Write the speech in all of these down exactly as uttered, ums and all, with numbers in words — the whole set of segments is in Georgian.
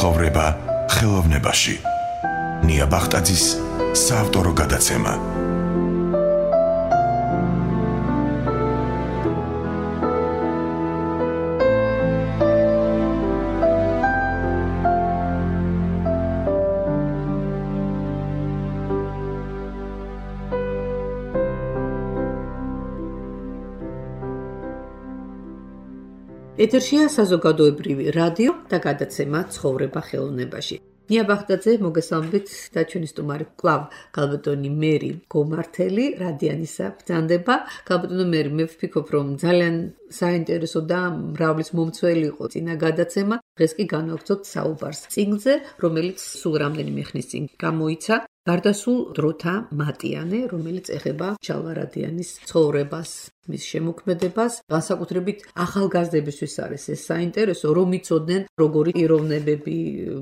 ცხოვრება ხელოვნებაში. ნია ბახტაძის საავტორო გადაცემა. ეთერშია საზოგადოებრივი რადიო და გადაცემა ცხოვრება ხელოვნებაში. ნია ბახტაძე მოგესალმებით და ჩვენი სტუმარი კლავ გალბატონი მერი გომართელი რადიანისა ბრძანდება. გალბატონო მერი, მე ვფიქრობ, რომ ძალიან საინტერესო და მრავლის მომცველი იყო წინა გადაცემა. დღეს კი განვაგრძობთ საუბარს წიგნზე, რომელიც სულ რამდენიმე ხნის წინ გამოიცა. გარდასულ დროთა მატიანე, რომელიც ეხება ჩალვარადიანის ცხოვრებას, მის შემოქმედებას, განსაკუთრებით ახალგაზრდებისთვის არის ეს საინტერესო, რომ იცოდნენ, როგორი პიროვნებები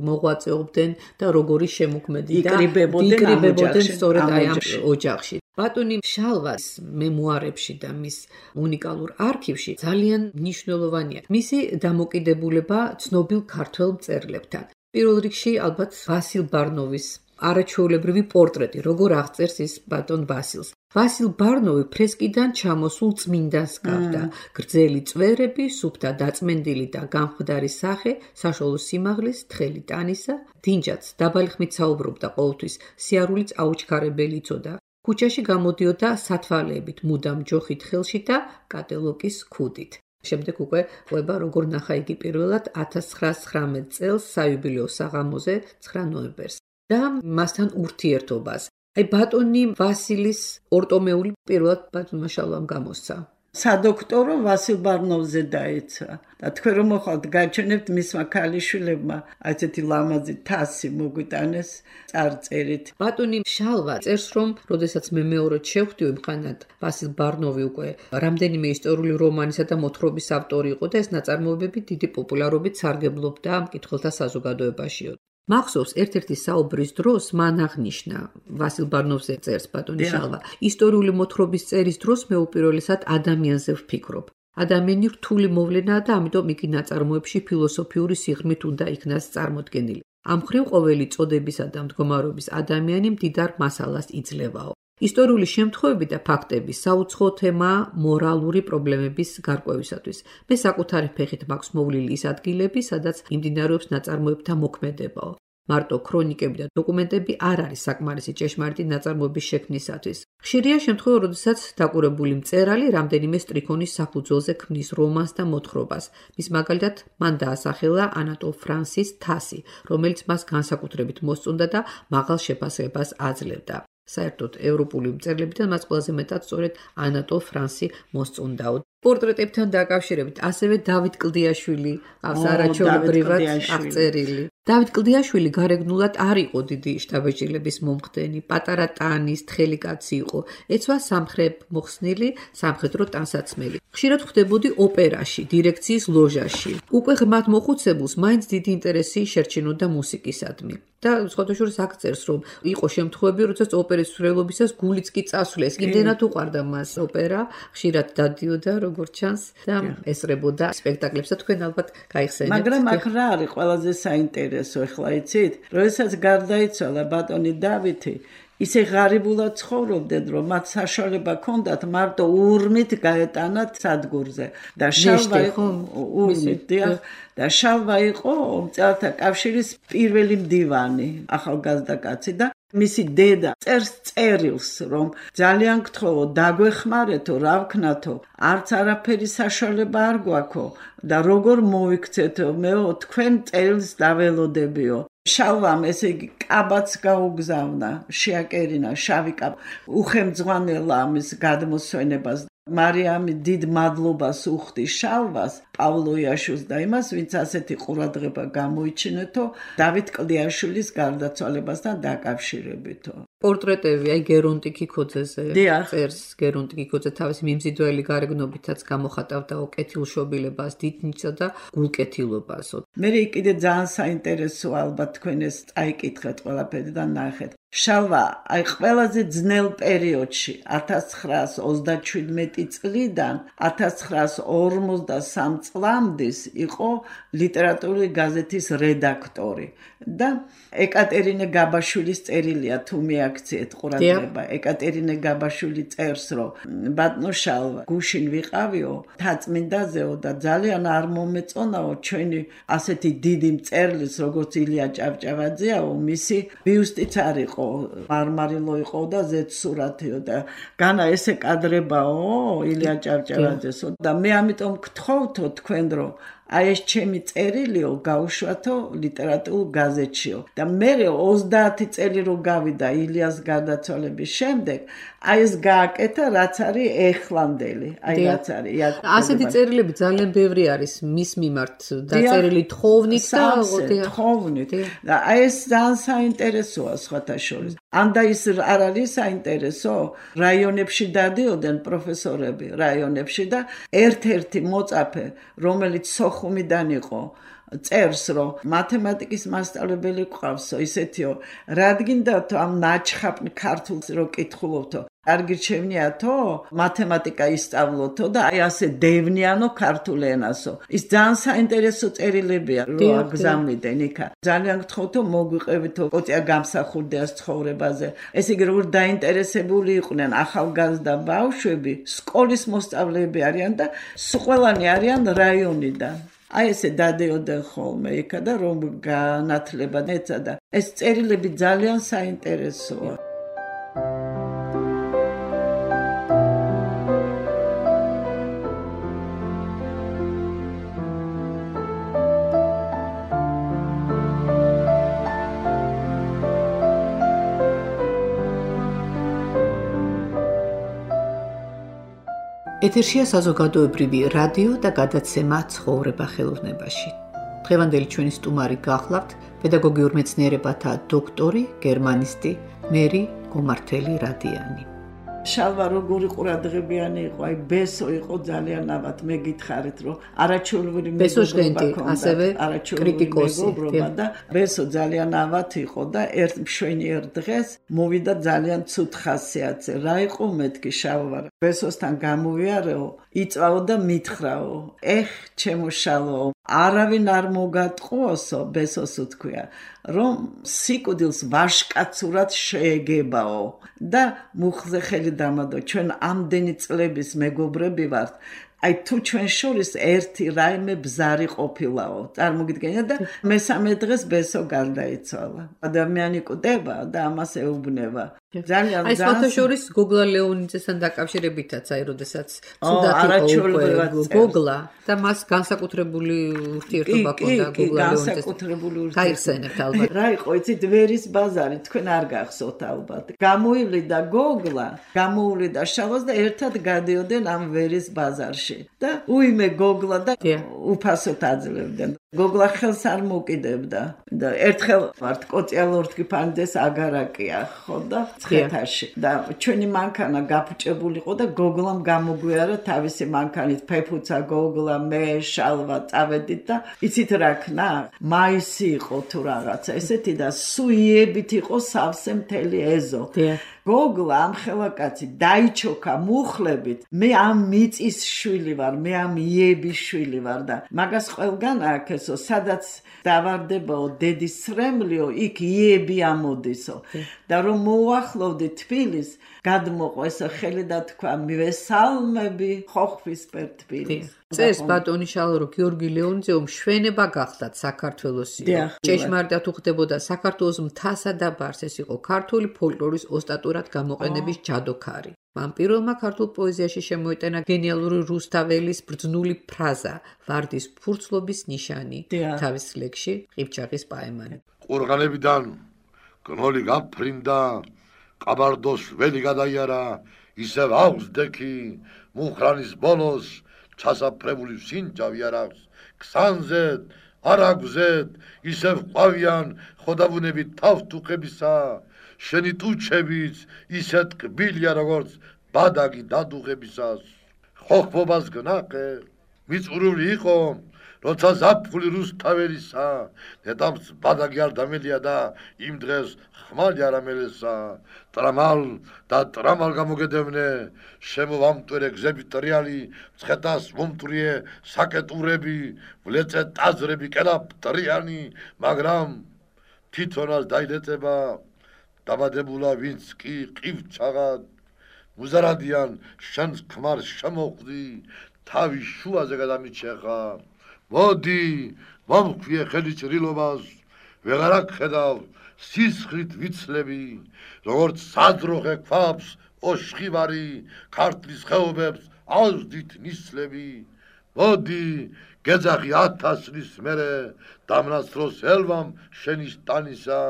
მოღვაწეობდნენ და როგორი შემოქმედი და იკრიბებოდნენ სწორედ აი ამ ოჯახში. ბატონი შალვას მემუარებში და მის უნიკალურ არქივში ძალიან მნიშვნელოვანია მისი დამოკიდებულება ცნობილ ქართველ მწერლებთან. პირველ რიგში ალბათ ვასილ ბარნოვის არაჩვეულებრივი პორტრეტი, როგორ აღწერს ის ბატონ ვასილს. ვასილ ბარნოვი ფრესკიდან ჩამოსულ წმინდანს გახდა. გრძელი წვერები, სუფთა დაწმენდილი და გამხდარი სახე, საშუალო სიმაღლის, თხელი ტანისა, დინჯაც დაბალი ხმით საუბრობდა ყოველთვის, სიარულიც აუჩქარებელი იცოდა. ქუჩაში გამოდიოდა სათვალეებით, მუდამ ჯოხით ხელში და კატელოკის ქუდით. შემდეგ უკვე ყვება როგორ ნახა იგი პირველად ათას ცხრაას ცხრამეტ წელს საიუბილეო საღამოზე ცხრა ნოემბერს. და მასთან ურთიერთობას. აი ბატონი ვასილის ორტომეული პირველად ბატონმა შალვამ გამოსცა. სადოქტორო ვასილ ბარნოვზე დაეცა. და თქვენ რომ მოხალთ გაჩვენებთ მისმა ქალიშვილებმა ასეთი ლამაზი თასი მოგვიტანეს წარწერით. ბატონი შალვა წერს რომ როდესაც მე მეორედ შევხვდივი მხანად ვასილ ბარნოვი უკვე რამდენიმე ისტორიული რომანისა და მოთხრობის ავტორი იყო და ეს ნაწარმოებები დიდი პოპულარობით სარგებლობდა მკითხველთა საზოგადოებაშიო. მახსოვს ერთ-ერთი საუბრის დროს მან აღნიშნა ვასილ ბარნოვზე წერს ბატონი შალვა ისტორიული მოთხრობის წერის დროს მე უპირველესად ადამიანზე ვფიქრობ. ადამიანი რთული მოვლენაა და ამიტომ იგი ნაწარმოებში ფილოსოფიური სიღრმით უნდა იქნას წარმოდგენილი. ამ მხრივ ყოველი წოდებისა და მდგომარეობის ადამიანი მდიდარ მასალას იძლევაო. ისტორიული შემთხვევები და ფაქტები საუცხო თემაა მორალური პრობლემების გარკვევისათვის. მე საკუთარი ფეხით მაქვს მოვლილი ის ადგილები, სადაც იმდინარეობს ნაწარმოებთა მოქმედებაო. მარტო ქრონიკები და დოკუმენტები არ არის საკმარისი ჭეშმარიტი ნაწარმოების შექმნისათვის. ხშირია შემთხვევა, როდესაც დაკვირვებული მწერალი რამდენიმე სტრიქონის საფუძველზე ქმნის რომანს და მოთხრობას. მის მაგალითად, მან დაასახელა ანატოლ ფრანსის თასი, რომელიც მას განსაკუთრებით მოსწონდა და მაღალ შეფასებას აძლევდა. საერთოდ ევროპული მწერლებიდან მას ყველაზე მეტად სწორედ ანატოლ ფრანსი მოსწონდაო. პორტრეტებთან დაკავშირებით ასევე დავით კლდიაშვილი ყავს არაჩვეულებრივად აღწერილი. დავით კლდიაშვილი გარეგნულად არ იყო დიდი შთაბეჭდილების მომხდენი, პატარა ტანის, თხელი კაცი იყო, ეცვა სამხრეთ მოხსნილი, სამხედრო ტანსაცმელი. ხშირად ხვდებოდი ოპერაში, დირექციის ლოჟაში. უკვე ღრმად მოხუცებულს მაინც დიდი ინტერესი შერჩენოდა მუსიკისადმი. და სხვადასხვა აქ წერს, რომ იყო შემთხვევები, როდესაც ოპერის მსვლელობისას გულიც კი წასვლეს. იმდენად უყვარდა მას ოპერა, ხშირად დადიოდა როგორც ჩანს და ესწრებოდა სპექტაკლებს და თქვენ ალბათ გაიხსენებთ. მაგრამ აქ რა არის ყველაზე საინტერესო, ახლა იცით, როდესაც გარდაიცვალა ბატონი დავითი, ისე ღარიბულად ცხოვრობდნენ, რომ მათ საშუალება ჰქონდათ მარტო ურმით გაეტანათ სადგურზე. და შალვა იყო ურმით, და შალვა იყო მწერალთა კავშირის პირველი მდივანი, ახალგაზრდა კაცი და მისი დედა წერს წერილს, რომ ძალიან გთხოვო, დაგვეხმარეთო, რა ვქნათო, არც არაფერი საშუალება არ გვაქვს და როგორ მოვიქცეთო, მეო, თქვენ წერილს დაველოდებიო. შალვამ ესე იგი კაბაც გაუგზავნა, შეაკერინა შავი კაბა, უხემძღვანელა ამის გადმოსვენებას. მარიამი დიდ მადლობას უხდი შალვას, პავლოიაშვილს და იმას, ვინც ასეთი ყურადღება გამოიჩინეთო დავით კლდიაშვილის გარდაცვალებასთან დაკავშირებითო. პორტრეტები, აი გერონტი კიკოძეზე წერს, გერონტი კიკოძე თავისი მიმზიდველი გარეგნობითაც გამოხატავდა კეთილშობილებას, დიდნიჭსა და გულკეთილობას. მე კიდე ძალიან საინტერესო ალბათ თქვენ ეს წაიკითხეთ ყველაფერი და ნახეთ. შალვა აი ყველაზე ძნელ პერიოდში ათას ცხრაას ოცდაჩვიდმეტი წლიდან ათას ცხრაას ორმოცდასამ წლამდე იყო ლიტერატურული გაზეთის რედაქტორი და ეკატერინე გაბაშვილის წერილია თუ მიაქციეთ ყურადღება ეკატერინე გაბაშვილი წერს რომ ბატონო შალვა გუშინ ვიყავიო თაწმინდაზეო და ძალიან არ მომეწონაო ჩვენი ასეთი დიდი მწერლის როგორც ილია ჭავჭავაძეაო მისი ბიუსტიც არ იყო მარმარილო იყო და ზეთსურათიო და განა ესე კადრებაო ილია ჭავჭავაძესო და მე ამიტომ გთხოვთო თქვენ რომ აი ეს ჩემი წერილიო გაუშვათო ლიტერატურულ გაზეთშიო და მე ოცდაათი წელი რო გავიდა ილიას გარდაცვალების შემდეგ აი ეს გააკეთა რაც არის ეხლანდელი აი რაც არის ასეთი წერილები ძალიან ბევრი არის მის მიმართ დაწერილი თხოვნით და თხოვნით და აი ეს ძალიან საინტერესოა სხვათა შორის ანდა ის არ არის საინტერესო რაიონებში დადიოდნენ პროფესორები რაიონებში და ერთ-ერთი მოწაფე რომელიც ხუმიდან იყო წერს რომ მათემატიკის მასწავლებელი ყავსო ისეთიო რადგინდათო ამ ნაჩხაპ ქართულს რო კითხულობთო კარგი რჩევნიათო მათემატიკა ისწავლოთო და აი ასე დევნიანო ქართულ ენასო ის ძალიან საინტერესო წერილებია რო აგზავნიდნენ იქა ძალიან გთხოვთო მოგვიყევითო კოტია გამსახურდიას ცხოვრებაზე ესე იგი როგორ დაინტერესებული იყვნენ ახალგაზრდა ბავშვები სკოლის მოსწავლეები არიან და ყველანი არიან რაიონიდან აი ესე დადიოდნენ ხოლმე იქა და რომ განათლება ეცადა ეს წერილები ძალიან საინტერესოა ეთერშია საზოგადოებრივი რადიო და გადაცემა ცხოვრება ხელოვნებაში. დღევანდელი ჩვენი სტუმარი გახლავთ პედაგოგიურ მეცნიერებათა დოქტორი, გერმანისტი მერი გომართელი რადიანი. შალვა როგორი ყურადღებიანი იყო, აი ბესო იყო ძალიან ნაბათ, მე გითხარით რომ არაჩვეულებრივი მეგობრობა ჰქონდა, ასევე კრიტიკოსი და ბესო ძალიან ნაბათ იყო და ერთ მშვენიერ დღეს მოვიდა ძალიან ცუდ ხასიათზე. რა იყო მეთქი შალვა? ბესოსთან გამოვიარეო, იწვაო და მითხრაო. ეხ, ჩემო შალვაო, არავინ არ მოგატყუოსო, ბესოს უთქვია, რომ სიკვდილს ვაშკაცურად შეეგებაო და მუხზე ხელი დამადო, ჩვენ ამდენი წლების მეგობრები ვართ, აი თუ ჩვენ შორის ერთი რაიმე ბზარი ყოფილაო, წარმოგიდგენია და მესამე დღეს ბესო გარდაიცვალა. ადამიანი კვდება და ამას ეუბნება. ძალიან აი სხვათა შორის გოგლა ლეონიძესთან დაკავშირებითაც აი როდესაც ცუდად იყო გოგლა და მას განსაკუთრებული ურთიერთობა ჰქონდა გოგლა ლეონიძესთან. განსაკუთრებული ურთიერთობა. გაიხსენებთ ალბათ. რა იყო იცით ვერის ბაზარი თქვენ არ გახსოვთ ალბათ. გამოივლიდა გოგლა, გამოუვლიდა შალვას და ერთად გადიოდნენ ამ ვერის ბაზარში. და უიმე გოგლა და უფასოდ აძლევდნენ. გოგლა ხელს არ მოკიდებდა და ერთხელ ვართ კოწიალორთკი ფანდეს აგარაკია ხო და ცხეთაში და ჩვენი მანქანა გაფუჭებულიყო და გოგლამ გამოგვიარა თავისი მანქანით ფეფუცა გოგლა მე შალვა წავედით და იცით რა ქნა მაისი იყო თუ რაღაცა ესეთი და სუიებით იყო სავსე მთელი ეზო გოგლა ამ ხელაკაცი დაიჩოქა მუხლებით მე ამ მიწის შვილი ვარ მე ამ იების შვილი ვარ და მაგას ყველგან აქესო სადაც დავარდებაო დედის სრემლიო იქ იები ამოდისო და რომ მოუახლოვდი თბილის გადმოყვა ესა ხელი და თქვა მივესალმები ხოხბისპერ თბილის წერს ბატონი შალვა გიორგი ლეონიძე მშვენება გახლდათ საქართველოსი ჭეშმარიტად უხდებოდა საქართველოს მთასა და ბარს ეს იყო ქართული ფოლკლორის ოსტატურად გამოყენების ჯადოქარი მან პირველმა ქართულ პოეზიაში შემოიტანა გენიალური რუსთაველის ბრძნული ფრაზა ვარდის ფურცლობის ნიშანი თავის ლექსში ყიფჩაღის პაემანი ყურღანებიდან გნოლი გაფრინდა ყაბარდოს ველი გადაიარა ისევ აღსდექი მუხრანის ბოლოს ჩასაფრებული სინჯავი არ აქვს ქსანზეთ არაგზეთ ისევ ყვავიან ხოდაბუნები თავთუხებისა შენი ტუჩებიც ისეთ კბილია როგორც ბადაგი დადუღებისას ხოხბობას გნაყე მიწურული იყო როცა ზაფხული რუსთაველისა, ნეტამს ბადაგი არ დამელია და იმ დღეს ხმალი არ ამელესა, ტრამალ და ტრამალ გამოგედევნე, შემოვამტვერე გზები ტრიალი, მცხეთას მომტვრიე საკეტურები, ვლეწე ტაძრები კელა ტრიანი, მაგრამ თვითონაც დაილეწება, დაბადებულა ვინც კი ყივჩაღად, მუზარადიან შენს ქმარს შემოხვდი, თავის შუაზე გადამიჩეხა, მოდი, მომხვიე ხელი ჭრილობას, ვეღარ აქხედავ, სისხლით ვიცლები, როგორც საძროხე ქვაბს, ოშხივარი, ქართლის ხეობებს ავზდით ნისლები, მოდი, გეძახი ათასლის მერე, დამნაცროს ელვამ შენის ტანისა,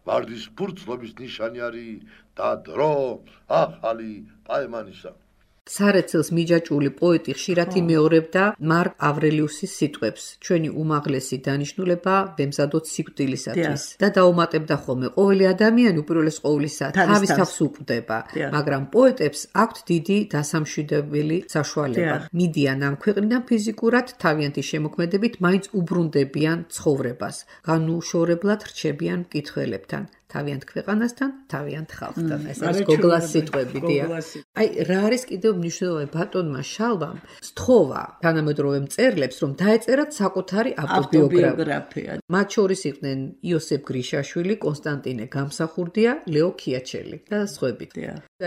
ვარდის ფურცლობის ნიშანი არის და დრო ახალი პაემანისა. სარეცელს მიჯაჭვული პოეტი ხშირად იმეორებდა მარკ ავრელიუსის სიტყვებს, ჩვენი უმაღლესი დანიშნულება ვემზადოთ სიკვდილისათვის და დაუმატებდა ხოლმე, ყოველი ადამიანი უპირველეს ყოვლისა თავის თავს უკვდება, მაგრამ პოეტებს აქვთ დიდი დასამშვიდებელი საშუალება. მიდიან ამ ქვეყნიდან ფიზიკურად თავიანთი შემოქმედებით მაინც უბრუნდებიან ცხოვრებას, განუშორებლად რჩებიან მკითხველებთან. თავიანთ ქვეყანასთან, თავიანთ ხალხთან. ეს არის გოგლას სიტყვები, დია. აი, რა არის კიდევ მნიშვნელოვანი ბატონმა შალვამ, სთხოვა თანამედროვე მწერლებს, რომ დაეწერათ საკუთარი ავტობიოგრაფია. მათ შორის იყვნენ იოსებ გრიშაშვილი, კონსტანტინე გამსახურდია, ლეო ქიაჩელი და სხვები.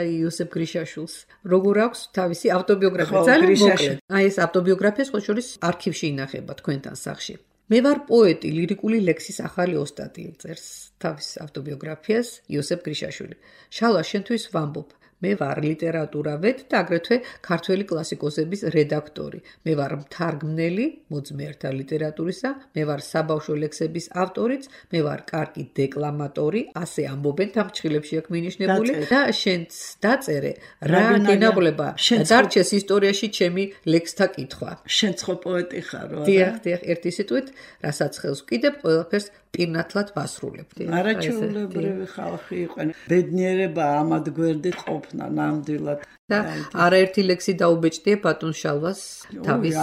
აი, იოსებ გრიშაშვილს როგორ აქვს თავისი ავტობიოგრაფია? ძალიან მოკლედ. აი, ეს ავტობიოგრაფია სხვა შორის არქივში ინახება თქვენთან სახლში. მე ვარ პოეტი, ლირიკული ლექსის ახალი ოსტატი, წერს თავის ავტობიოგრაფიას იოსებ გრიშაშვილი. შალვა, შენთვის ვამბობ, მე ვარ ლიტერატურავედ და აგრეთვე ქართველი კლასიკოსების რედაქტორი. მე ვარ მთარგმნელი მოძმეერთა ლიტერატურისა, მე ვარ საბავშვო ლექსების ავტორიც, მე ვარ კარგი დეკლამატორი, ასე ამბობენ თამჩხილებში აქ მინიშნებული და შენც დაწერე რა გენაღლება დარჩეს ისტორიაში ჩემი ლექსთა კითხვა. შენც ხო პოეტი ხარო? დიახ, დიახ, ერთი სიტყვით, რასაც ხელს ვკიდებ, ყველაფერს პირნათლად ვასრულებდი. არაჩვეულებრივი ხალხი იყვნენ. ბედნიერება ამად გვერდით ყოფნა ნამდვილად. და არაერთი ლექსი დაუბეჭდია ბატონ შალვას თავის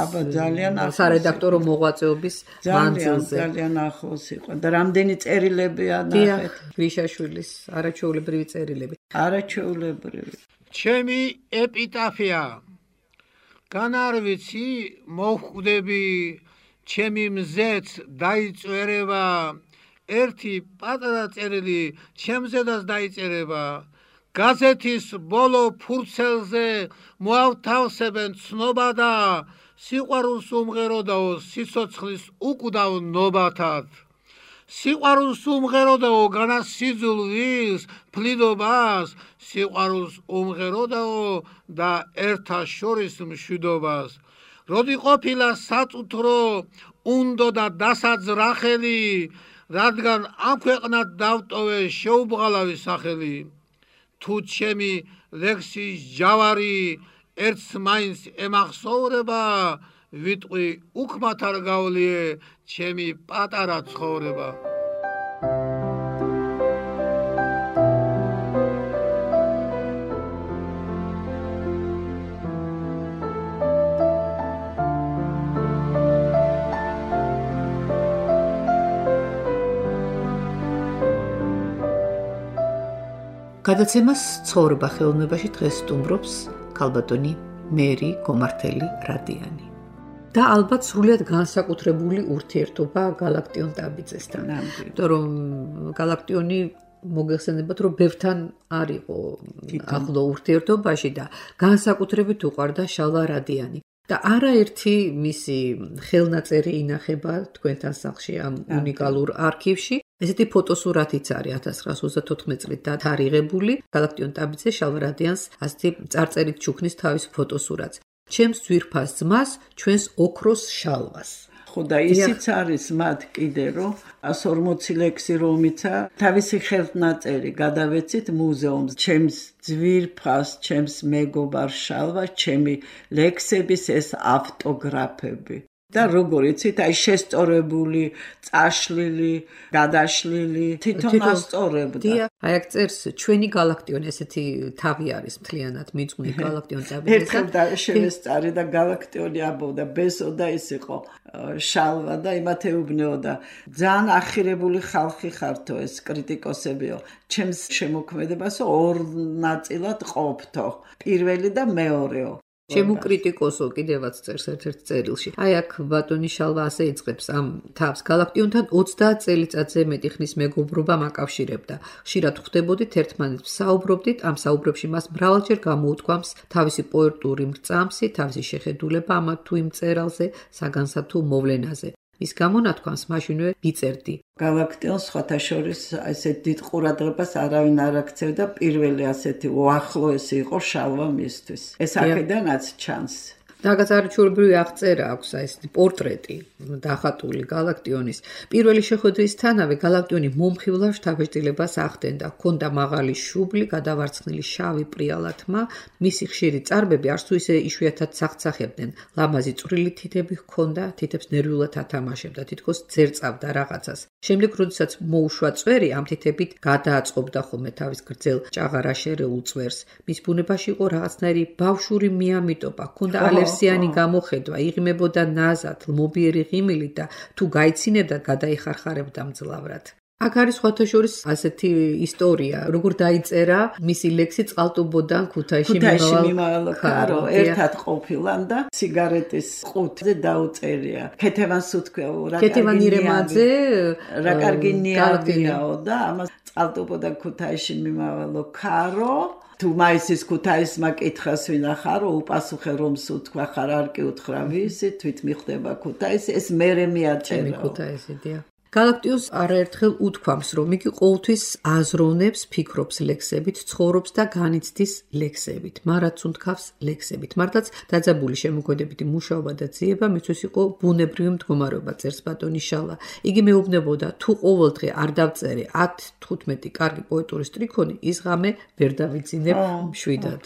სარედაქტორო მოღვაწეობის მანძილზე. ძალიან ახლოს იყო და რამდენი წერილებია ნახეთ. გრიშაშვილის არაჩვეულებრივი წერილები. არაჩვეულებრივი. ჩემი ეპიტაფია. განარ ვიცი მოხვდები ჩემი მზეც დაიწერება, ერთი პატარა წერილი ჩემზედაც დაიწერება, გაზეთის ბოლო ფურცელზე მოავთავსებენ ცნობა და სიყვარულს უმღეროდაო სიცოცხლის უკვდავ ნობათად. სიყვარულს უმღეროდაო განასიძულვის ფლიდობას, სიყვარულს უმღეროდაო და ერთა შორის მშვიდობას. როდი ყოფილა საწუთრო უნდო და დასაძრახელი, რადგან ამ ქვეყნად დავტოვე შეუბღალავი სახელი. თუ ჩემი ლექსის ჯავარი ერთს მაინც ემახსოვრება, ვიტყვი უქმათ არ გავლიე ჩემი პატარა ცხოვრება. გადაცემას ცხოვრება ხელოვნებაში დღეს სტუმრობს ქალბატონი მერი გომართელი რადიანი. და ალბათ სრულიად განსაკუთრებული ურთიერთობა გალაქტიონ ტაბიძესთან. იმიტომ რომ გალაქტიონი მოგეხსენებათ, რომ ბევრთან არ იყო ახლო ურთიერთობაში და განსაკუთრებით უყვარდა შალვა რადიანი. და არაერთი მისი ხელნაწერი ინახება თქვენთან სახლში ამ უნიკალურ არქივში. ესეთი ფოტოსურათიც არის ათას ცხრაას ოცდათოთხმეტ წლით დათარიღებული. გალაქტიონ ტაბიძე შალვა რადიანს ასეთი წარწერით ჩუქნის თავის ფოტოსურათს. ჩემს ძვირფას ძმას, ჩვენს ოქროს შალვას. ხო და ისიც არის მათ კიდე, რომ ას ორმოცი ლექსი რომიცა თავისი ხელნაწერი გადავეცით მუზეუმს. ჩემს ძვირფას, ჩემს მეგობარ შალვას, ჩემი ლექსების ეს ავტოგრაფები. და როგორ იცით, აი შესწორებული, წაშლილი, გადაშლილი, თვითონ ასწორებდა. აი აქ წერს ჩვენი galaktion ესეთი თავი არის მთლიანად მიძღვნი galaktion წაბიძე. ერთხელ შევესწარი და galaktion აბობდა ბესო და ის იყო შალვა და იმათ ეუბნეოდა. ძალიან ახირებული ხალხი ხართო ეს კრიტიკოსებიო. ჩემს შემოქმედებასო ორ ნაწილად ყოფთო. პირველი და მეორეო. ჩემო კრიტიკოსო კიდევაც წერს ერთ-ერთ წერილში. აი აქ ბატონი შალვა ასე იწყებს ამ თავს. galaktionთან ოცდაათ წელიწადზე მეტი ხნის მეგობრობა მაკავშირებდა. ხშირად ხვდებოდით ერთმანეთს, საუბრობდით, ამ საუბრებში მას მრავალჯერ გამოუთქვამს თავისი პოეტური მრწამსი, თავისი შეხედულება ამა თუ იმ წერალზე, საგანსა თუ მოვლენაზე. ის გამონათქვამს მაშინვე ვიწერდი. galaktionს სხვათა შორის ესეთ დიდ ყურადღებას არავინ არ აქცევდა, პირველი ასეთი უახლოესი იყო შალვა მისთვის. ეს აქედანაც ჩანს. დაგაწარჩურებრივი აღწერა აქვს აი ესეთი პორტრეტი დახატული galaktionის. პირველი შეხვედრისთანავე galaktioni მომხიბლავ შთაბეჭდილებას ახდენდა. ჰქონდა მაღალი შუბლი, გადავარცხნილი შავი პრიალა თმა, მისი ხშირი წარბები არც თუ ისე იშვიათად სახცახებდნენ. ლამაზი წვრილი თითები ჰქონდა, თითებს ნერვიულად ათამაშებდა, თითქოს ძერწავდა რაღაცას. შემდეგ, როდესაც მოუშვა წვერი, ამ თითებით გადააწყობდა ხოლმე თავის გრძელ ჭაღარ აშერეულ წვერს. მის ბუნებაში იყო რაღაცნაირი ბავშვური მიამიტობა, ჰქონდა ალერსიანი გამოხედვა, იღიმებოდა ნაზად, ლმობიერი ღიმილით და თუ გაიცინებდა, გადაიხარხარებდა მძლავრად. აქ არის სხვათა შორის ასეთი ისტორია, როგორ დაიწერა მისი ლექსი წყალტუბოდან ქუთაისში მიმავალ ქარო, ერთად ყოფილან და სიგარეტის ყუთზე დაუწერია. ქეთევანს უთქვია, რა ქეთევან ირემაძე, რა კარგი ნიადიაო და ამას წყალტუბოდან ქუთაისში მიმავალ ქარო თუ მაისის ქუთაისმა კითხას ვინახარო, უპასუხე რომ სუთქვა ხარ არ კი უთხრა ვისი, თვით მიხვდება ქუთაისი, ეს მერე მიაწერა. ქუთაისი დია. galaktionს არაერთხელ უთქვამს, რომ იგი ყოველთვის აზროვნებს, ფიქრობს ლექსებით, ცხოვრობს და განიცდის ლექსებით, მარაც უნთქავს ლექსებით. მართლაც დაძაბული შემოქმედებითი მუშაობა და ძიება მისთვის იყო ბუნებრივი მდგომარეობა, წერს ბატონი შალვა. იგი მეუბნებოდა, თუ ყოველდღე არ დავწერე ათი თხუთმეტი კარგი პოეტური სტრიქონი, ის ღამე ვერ დავიძინებ მშვიდად.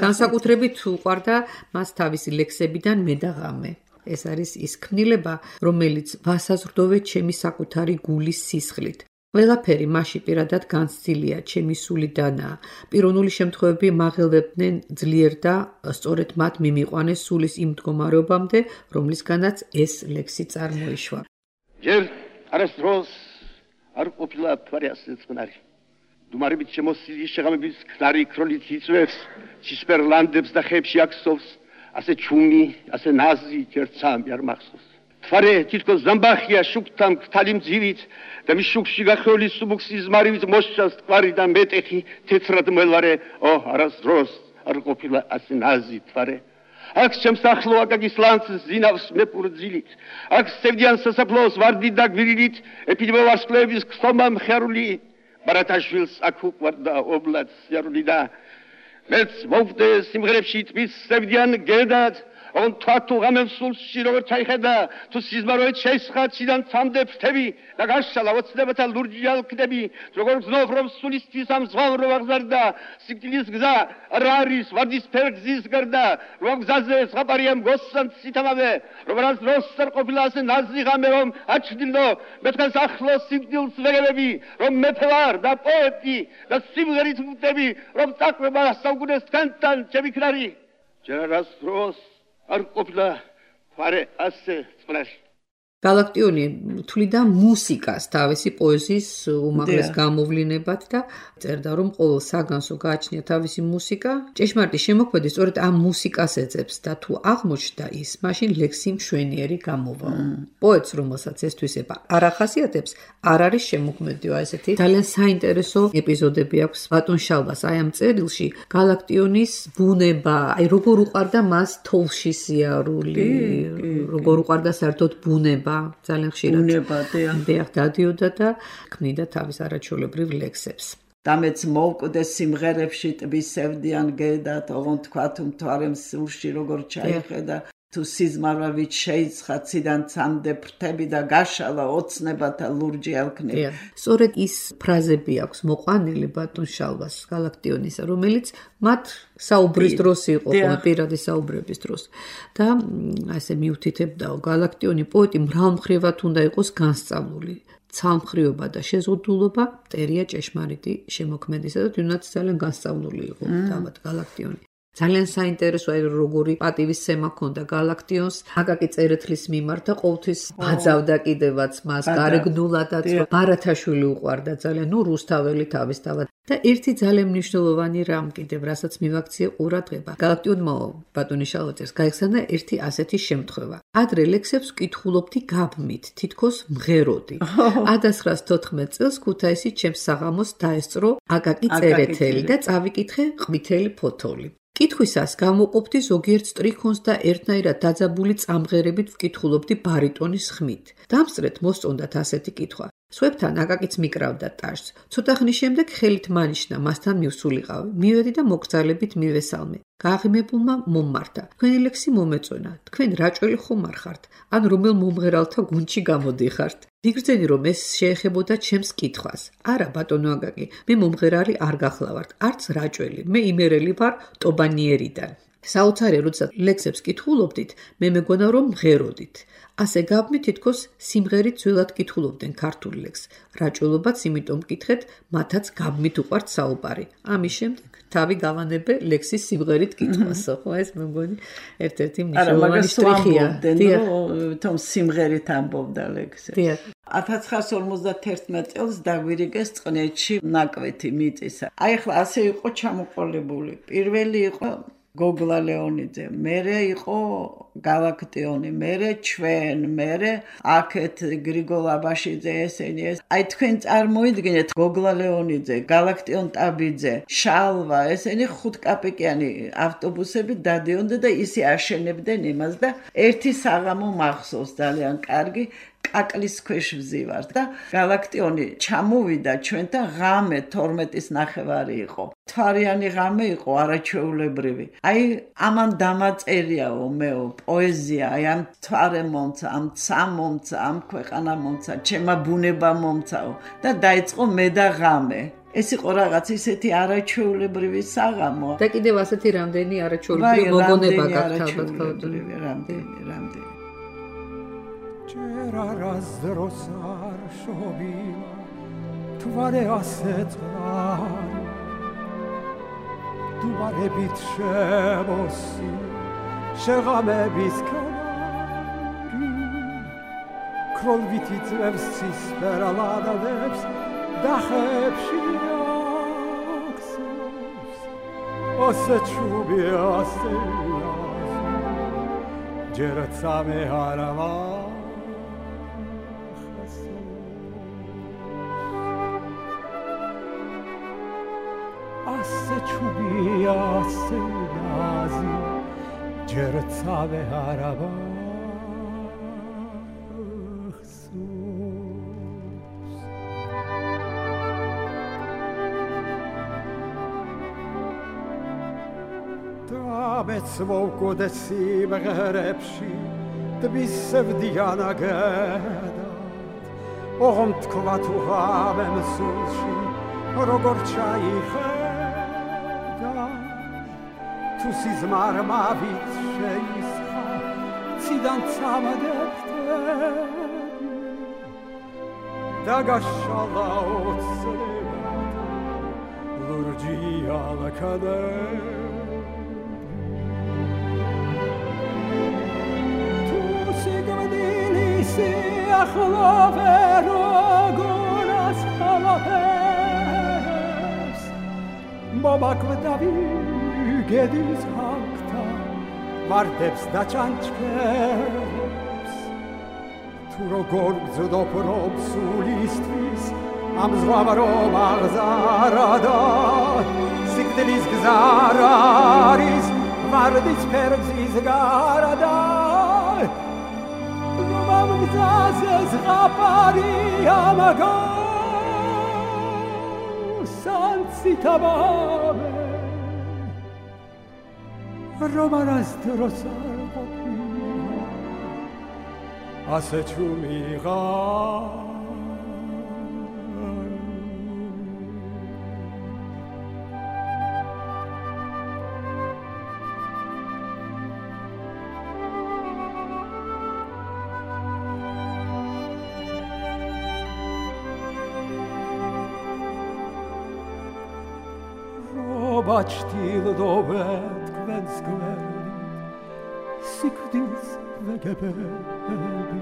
განსაკუთრებით უყვარდა მას თავისი ლექსებიდან მე და ღამე. ეს არის ის ქმნილება, რომელიც ვასაზრდოვე ჩემი საკუთარი გულის სისხლით. ყველაფერი მასში პირადად განცდილია, ჩემი სულიდანაა. პიროვნული შემთხვევები მაღელვებდნენ ძლიერ და სწორედ მათ მიმიყვანეს სულის იმ მდგომარეობამდე, რომლისგანაც ეს ლექსი წარმოიშვა. ჯერ არასდროს არ ყოფილა მთვარე ასე წყნარი. დუმარებით შემოსილი შეღამების ქნარი ქრონით იწვევს, ცისფერლანდებს და ხეებში აქსოვს. ასე ჩუმი, ასე ნაზი ჯერცამი არ მახსოვს. თვარე თითქოს ზამბახია შუქთან ქთალი მძივით და მის შუქში გახეული სუბუქსის მარივით მოსჩას თვარი და მეტეხი თეთრად მელარე, ო არასდროს არ ყოფილა ასე ნაზი თვარე. აქ ჩემს ახლო აკაკის ლანცს ზინავს მეპურძილით. აქ სევდიან სასაფლაოს ვარდით და გვირილით ეპიდემო ვარსკვლავების ხსომა მხარული. ბარათაშვილს აქ უყვარდა ობლად სიარული და მეც მოვდე სიმღერებში ტბის სევდიან გედად, on თვათუ ღამემ სულში როგორ ჩაიხედა, თუ სიზმაროეთ შეისხა ციდან ცამდე ფრთები და გაშალა ოცნებათა ლურჯი ალკდები, როგორ გზნով რომ სულისთვის ამ ზღვამ რო აღზარდა, სიკვდილის გზა რა არის ვარდისფერ გზის გარდა, რომ გზაზე ზღაპარია მგოსან ცითამავე, რომ რას დროს არ ყოფილა ასე ნაზი ღამე რომ აჩრდილო, მეთქანს ახლო სიკვდილს ვეგებები, რომ მეფე ვარ და პოეტი და სიმღერით ვუტები, რომ წაყვება საუკუნეს თქვენთან ჩემი ქნარი. ჯერას დროს არ ყოფილა თვარე ასე წყნარი. galaktioni თვლიდა მუსიკას თავისი პოეზიის უმაღლეს გამოვლინებად და წერდა, რომ ყოველ საგანსო გააჩნია თავისი მუსიკა. ჭეშმარიტი შემოქმედი სწორედ ამ მუსიკას ეძებს და თუ აღმოჩნდა ის, მაშინ ლექსი მშვენიერი გამოვა. პოეტს, რომელსაც ეს თვისება არ ახასიათებს, არ არის შემოქმედიო ესეთი. ძალიან საინტერესო ეპიზოდები აქვს ბატონ შალვას აი ამ წერილში. galaktionis ბუნება, აი როგორ უყვარდა მას თოვლში სიარული, როგორ უყვარდა საერთოდ ბუნება. ძალიან ხშირად ბეღ დადიოდა და ქმნიდა თავის არაჩვეულებრივ ლექსებს. დამეც მოვკვდეს სიმღერებში ტბის სევდიან გედათ, ოღონდ თქვა თუ მთვარემ სულში როგორ ჩაიხედა. თუ სიზმარვა ვით შეიცხა ციდან ცამდე ფრთები და გაშალა ოცნებათა ლურჯი ალქნები. სწორედ ის ფრაზები აქვს მოყვანილი ბატონ შალვას გალაქტიონისა, რომელიც მათ საუბრის დროს იყო, პირადი საუბრების დროს. და ასე მიუთითებდაო, გალაქტიონი პოეტი მრავალმხრივად უნდა იყოს განსწავლული. ცალმხრივობა და შეზღუდულობა მტერია ჭეშმარიტი შემოქმედისა და თუნდაც ძალიან განსწავლული იყო თავად გალაქტიონი. ძალიან საინტერესოა როგორი პატივისცემა ჰქონდა გალაქტიონს აკაკი წერეთლის მიმართ და ყოველთვის ბაძავდა კიდევაც მას გარეგნულადაც ბარათაშვილი უყვარდა ძალიან ნუ რუსთაველი თავისთავად და ერთი ძალიან მნიშვნელოვანი რამ კიდევ რასაც მივაქციე ყურადღება გალაქტიონმა ბატონიშ შალვაძეს გაიხსნა ერთი ასეთი შემთხვევა ადრე ლექსებს ვკითხულობდი გაბმით თითქოს მღეროდი ათას ცხრაას თოთხმეტ წელს ქუთაისის ჩემს საღამოს დაესწრო აკაკი წერეთელი და წავიკითხე ყვითელი ფოთოლი კითხვისას გამოყოფდი ზოგიერთ სტრიქონს და ერთნაირად დაძაბული წამღერებით ვკითხულობდი ბარიტონის ხმით. დამსწრეთ მოსწონდათ ასეთი კითხვა. სვებთან აკაკიც მიკრავდა ტაშს. ცოტა ხნის შემდეგ ხელით მანიშნა მასთან მივსულიყავი. მივედი და მოგრძალებით მივესალმე. გააღიმებულმა მომმართა. თქვენი ლექსი მომეწონა. თქვენ რაჭველი ხომ არ ხართ? ან რომელ მომღერალთა გუნდში გამოდიხართ? მიგრძენი რომ ეს შეეხებოდა ჩემს კითხვას. არა ბატონო აკაკი, მე მომღერალი არ გახლავართ, არც რაჭველი. მე იმერელი ვარ ტობანიერიდან. საოცარია, როდესაც ლექსებს კითხულობდით, მე მეგონა რომ მღეროდით. ასე გაბმით თითქოს სიმღერით ძველად კითხულობდნენ ქართულ ლექსს. რაჭველობაც იმიტომ მკითხეთ, მათაც გაბმით უყვართ საუბარი. ამის შემდეგ თავი გავანებე ლექსის სიმღერით კითხვასო, ხო ეს მეგონი ერთ-ერთი მნიშვნელოვანი შტრიხია. თომ სიმღერით ამბობდა ლექსებს. ათას ცხრაას ორმოცდაერთმეტ წელს დაგვირიგეს წყნეთში ნაკვეთი მიწისა. აი ახლა ასე იყო ჩამოყოლებული. პირველი იყო გოგლა ლეონიძე, მერე იყო გალაქტიონი, მერე ჩვენ, მერე აქეთ გრიგოლ აბაშიძე ესენი ეს. აი თქვენ წარმოიდგინეთ გოგლა ლეონიძე, გალაქტიონ ტაბიძე, შალვა, ესენი ხუთკაპიკიანი ავტობუსები დადიოდნენ და ისე აშენებდნენ იმას და ერთი საღამო მახსოვს ძალიან კარგი კაკლის ქვეშ ვზივართ და გალაქტიონი ჩამოვიდა ჩვენთან ღამე თორმეტის ნახევარი იყო. თვარიანი ღამე იყო არაჩვეულებრივი. აი ამან დამაწერიაო მეო პოეზია, აი ამ თვარე მომცა, ამ ცა მომცა, ამ ქვეყანა მომცა, ჩემა ბუნება მომცაო და დაიწყო მე და ღამე. ეს იყო რაღაც ისეთი არაჩვეულებრივი საღამო. და კიდევ ასეთი რამდენი არაჩვეულებრივი მოგონება გაქვთ ალბათ რამდენი, რამდენი. Čera razdrosar šobila, tvare asetvar, tvare bit šebosi, šegame bizkanari, krol biti tvevs cispera ladadevs, dahepši aksos, ose čubi ase jazu, džercame haravar, ჩუბია სენაზი ჯერცავე არაბა დამეც მოვკოდე სიმღერებში თბისევდიანაგედად ოღონდ თქვა თუ ღამემ სულში როგორ ჩაიხე თუ სიზმარმა ვით შეისხა ციდან წამადებდები და გაშალა ოცნებად ლურჯი ალქადები თუ სიგმდილი სიახლოვე როგორ ასხალაფებს მომაკვდავი გედის ჰაკთა ვარდებს და ჩანჩქერებს თუ როგორ გძდობ რომ სულისთვის ამ ზღვამ რომ აღზარდა სიკვდილის გზარ არის ვარდის ფერგზის გარდა რომ ამ გზაზე ზღაპარია მაგას სანცითავამე Roma razdrosar popila ასე ჩუმიღა ბაჩტილდობეთ გვენს გვერდით სიკვდილს ვეგებები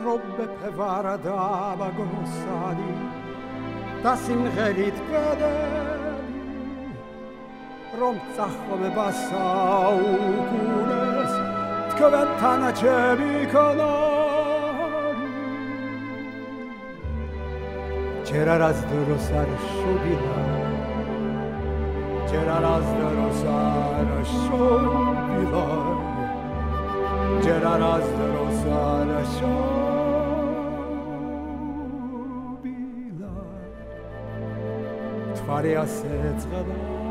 რომ ბეფევარა დამაგოსანი და სიმღერით კვედები რომ წახომება საუკუნეს თქვენ თანაჩები ქონარი ჯერ არას დროს არ შობილა C'era la sdrosara sciobila C'era la sdrosara sciobila Tvare asec gada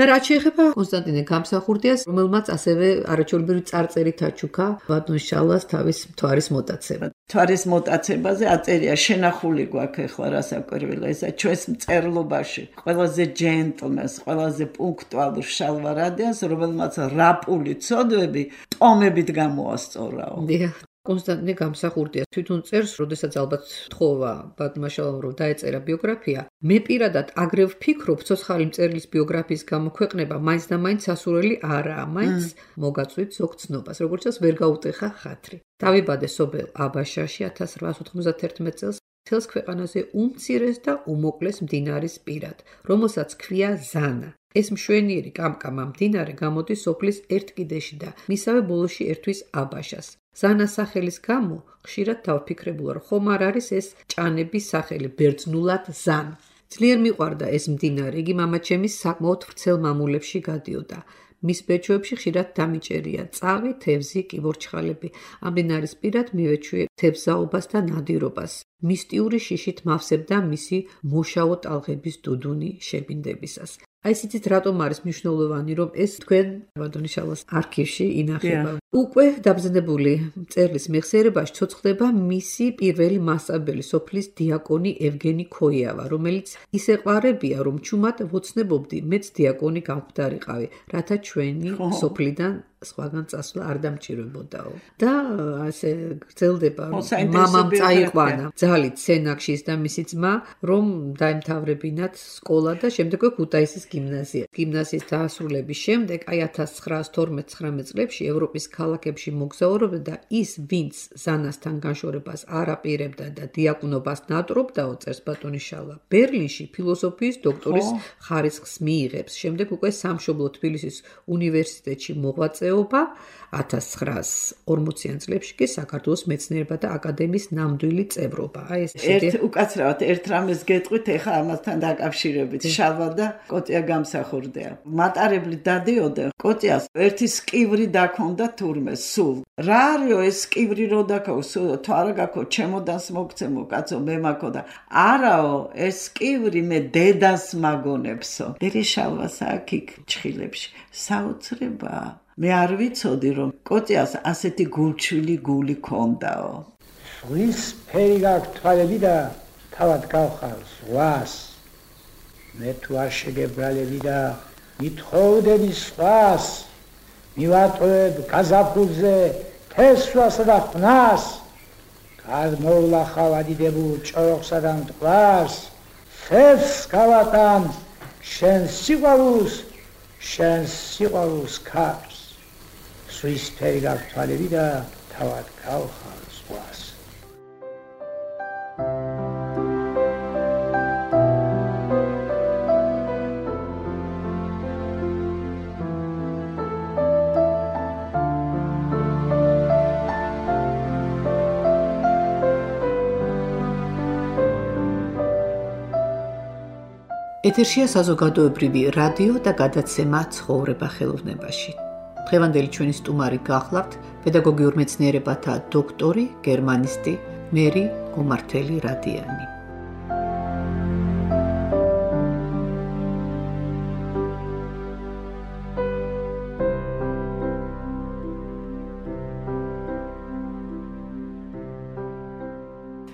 და რაც შეეხება კონსტანტინე გამსახურდიას, რომელმაც ასევე არაჩვეულებრივი წარწერით აჩუქა ბატონშალას თავის მთვარის მოტაცება. მთვარის მოტაცებაზე აწერია შენახული გვაქვს ახლა რასაკვირველია, ესა ჩვენს მწერლობაში ყველაზე ჯენტლმენს, ყველაზე პუნქტუალურ შალვარადიანს, რომელმაც რაპული ცოდვები ტომებით გამოასწორაო. დიახ. კონსტანტინე გამსახურდია თვითონ წერს, როდესაც ალბათ თხოვა ბატონშალამ რომ დაეწერა ბიოგრაფია. მე პირადად აგრევ ვფიქრობ, ცოცხალი მწერლის ბიოგრაფიის გამოქვეყნება მაინც და მაინც სასურველი არაა, მაინც მოგაწვით ზოგ ცნობას, როგორც წელს ვერ გაუტეხა ხათრი. დავიბადე სოფელ აბაშაში ათას რვაას ოთხმოცდათერთმეტ წელს მთელს ქვეყანაზე უმცირეს და უმოკლეს მდინარის პირად, რომელსაც ქვია ზანა. ეს მშვენიერი კამკამა მდინარე გამოდის სოფლის ერთ კიდეში და მისავე ბოლოში ერთვის აბაშას. ზანას სახელის გამო ხშირად დავფიქრებულა, რომ ხომ არ არის ეს ჭანების სახელი ბერძნულად ზან. ძლიერ მიყვარდა ეს მდინარე, იგი მამაჩემის საკმაოდ ვრცელ მამულებში გადიოდა. მის ბეჭვებში ხშირად დამიჭერია წავი, თევზი, კიბორჩხალები. ამ მდინარის პირად მივეჩვიე თევზაობას და ნადირობას. მისტიური შიშით მავსებდა მისი მოშავო ტალღების დუდუნი შებინდებისას. აი ისიც რატომ არის მნიშვნელოვანი, რომ ეს თქვენ ბატონიშალოს არქივში ინახება. უკვე დაბზნებული მწერლის მეხსიერებაში ცოცხლდება მისი პირველი მასწავლებელი, სოფლის დიაკონი ევგენი ქოიავა, რომელიც ისე ყვარებია, რომ ჩუმად ვოცნებობდი, მეც დიაკონი გამხდარიყავი, რათა ჩვენი სოფლიდან სხვაგან წასვლა არ დამჭირებოდაო. და ასე გრძელდება, მამამ წაიყვანა ძალით სენაკშის და მისი ძმა, რომ დაემთავრებინათ სკოლა და შემდეგ ქუთაისის გიმნაზია. გიმნაზიის დაასრულების შემდეგ, აი ათას ცხრაას თორმეტ-ცხრამეტ წლებში ევროპის ქალაქებში მოგზაურობდა და ის, ვინც ზანასთან განშორებას არ აპირებდა და დიაკვნობას ნატრობდაო, წერს ბატონიშალა, ბერლინში ფილოსოფიის დოქტორის ხარისხს მიიღებს. შემდეგ უკვე სამშობლო თბილისის უნივერსიტეტში მოღვაწეობს ათას ცხრაას ორმოციან წლებში კი საქართველოს მეცნიერებათა და აკადემიის ნამდვილი წევრობა. აი ეს ერთ უკაცრავად ერთ რამეს გეტყვით, ეხა ამასთან დაკავშირებით. შალვა და კოტია გამსახურდია. მატარებლით დადიოდა, კოტიას ერთი სკივრი დაქონდა თურმე სულ. რა არისო ეს სკივრი რო დაქო, სულ თუ არა გაქო, ჩემოდანს მოგცემო, კაცო, მე მაქო და არაო, ეს სკივრი მე დედას მაგონებსო. მერე შალვა სააქიქ ჩხილებში. საოცრებაა. მე არ ვიცოდი, რომ კოტიას ასეთი გულჩვილი გული ქონდაო. ზღვის ფერი გაქვს თვალები და თავად გავხარ ზღვას. მე თუ არ შეგებრალები და მithხოვდები სხვას, მივატოვებ გაზაფხულზე თესვასა და ხვნას, გადმოვლახავ ადიდებულ ჭოროხსა და მტკვარს, ხევს გავატან შენ სიყვარულს, შენ სიყვარულს ქარს. ზღვის ფერი გაქვს თვალები და თავად გავხარ ზღვას. ეთერშია საზოგადოებრივი რადიო და გადაცემა ცხოვრება ხელოვნებაში. დღევანდელი ჩვენი სტუმარი გახლავთ პედაგოგიურ მეცნიერებათა დოქტორი, გერმანისტი მერი გუმართელი რადიანი.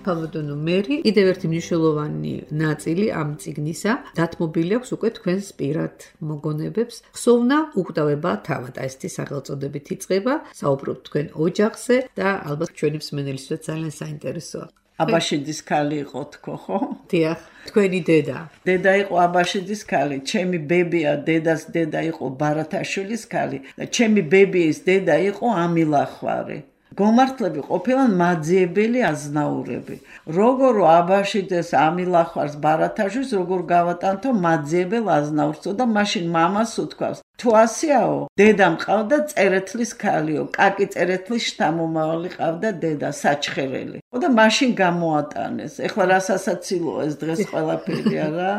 ფავოდონო მერი კიდევ ერთი მნიშვნელოვანი ნაწილი ამ წიგნისა დათმობილი აქვს უკვე თქვენს პირად მოგონებებს. ხსოვნა უკვდავება თავად, აი ესეთი სახელწოდებით იწყება, საუბრობთ თქვენ ოჯახზე და ალბათ ჩვენი მსმენელისთვისაც ძალიან საინტერესოა. აბაშიძის ქალი იყო თქო, ხო? დიახ, თქვენი დედა. დედა იყო აბაშიძის ქალი, ჩემი ბებია დედას დედა იყო ბარათაშვილის ქალი და ჩემი ბებიის დედა იყო ამილახვარი. გომართლები ყოფილან მაძიებელი აზნაურები. როგორ აბაშიძეს ამილახვარს ბარათაშვილს როგორ გავატანთო მაძიებელ აზნაურსო და მაშინ მამას უთქვავს თუ ასეაო, დედა მყავდა წერეთლის ქალიო, კაკი წერეთლის შთამომავალი ყავდა დედა საჩხერელი. და მაშინ გამოატანეს. ეხლა რა სასაცილოა ეს დღეს ყველაფერი არა?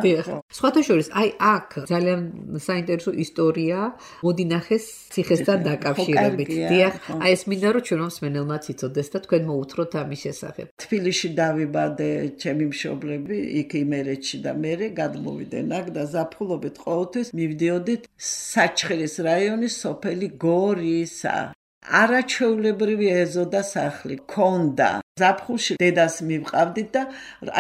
სხვათა შორის, აი აქ ძალიან საინტერესო ისტორია მოდინახეს ციხესთან დაკავშირებით. დიახ, აი ეს მინდა რომ ჩვენო მსმენელმაც იცოდეს და თქვენ მოუთხროთ ამის შესახებ. თბილისში დავიბადე, ჩემი მშობლები, იქ იმერეთში და მერე გადმოვიდენ აქ და ზაფხულობით ყოველთვის მივდიოდით საჩხერის რაიონის სოფელი გორისა. არაჩვეულებრივი ეზო და სახლი ქონდა. ზაფხულში დედას მივყავდით და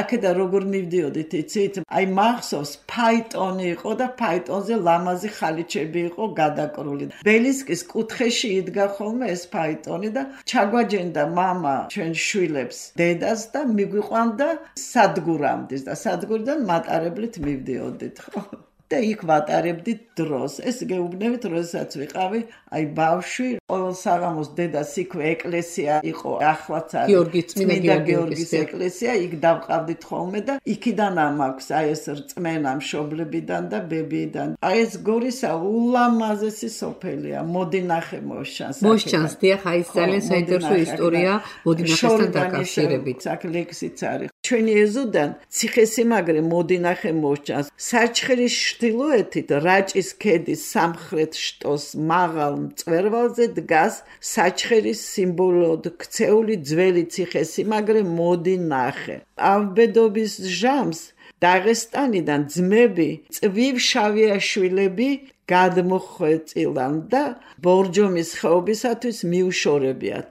აქედან როგორ მივდიოდით, იცით? აი მახსოვს, ფაიტონი იყო და ფაიტონზე ლამაზი ხალიჩები იყო გადაკრული. ბელისკის კუთხეში იდგა ხოლმე ეს ფაიტონი და ჩაგვაჯენდა მამა ჩვენ შვილებს დედას და მიგვიყვანდა სადგურამდე და სადგურიდან მატარებლით მივდიოდით, ხო? და იქ ვატარებდით დროს. ეს გეუბნებით, როდესაც ვიყავი, აი ბავშვი, ყოველ საღამოს დედას იქვე ეკლესია იყო, ახლაც არის გიორგი წმინდა გიორგის ეკლესია, იქ დავყავდით ხოლმე და იქიდან ამაქვს აი ეს რწმენა მშობლებიდან და ბებიიდან. აი ეს გორისა ულამაზესი სოფელია, მოდი ნახე მოსჩანს. მოსჩანს, დიახ, აი ეს ძალიან საინტერესო ისტორია მოდინახესთან დაკავშირებით. აქ ლექსიც არის. ჩვენი ეზოდან ციხესიმაგრე მოდინახე მოსჩანს. საჩხერის ჩრდილოეთით რაჭის ქედის სამხრეთ შტოს მაღალ მწვერვალზე დგას საჩხერის სიმბოლოდ ქცეული ძველი ციხესიმაგრე მოდინახე. ავბედობის ჟამს დაღესტანიდან ძმები წვივშავიაშვილები გადმოხვეწილან და ბორჯომის ხეობისათვის მიუშორებიათ.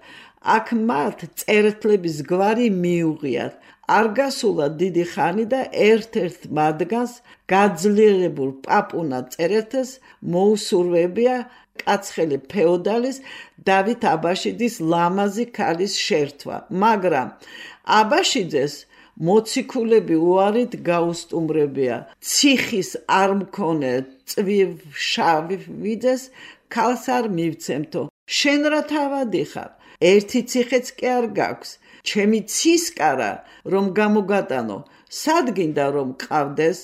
აქ მათ წერეთლების გვარი მიუღიათ. არ გასულა დიდი ხანი და ერთ-ერთ მათგანს გაძლიერებულ პაპუნა წერეთელს მოუსურვებია კაცხელი ფეოდალის დავით აბაშიძის ლამაზი ქალის შერთვა, მაგრამ აბაშიძეს მოციქულები უარით გაუსტუმრებია. ციხის არ მქონე წვივშავიძეს ქალს არ მივცემთო. შენ რა თავადი ხარ? ერთი ციხეც კი არ გაქვს. ჩემი ცისკარა რომ გამოგატანო, სადგინდა რომ ყავდეს,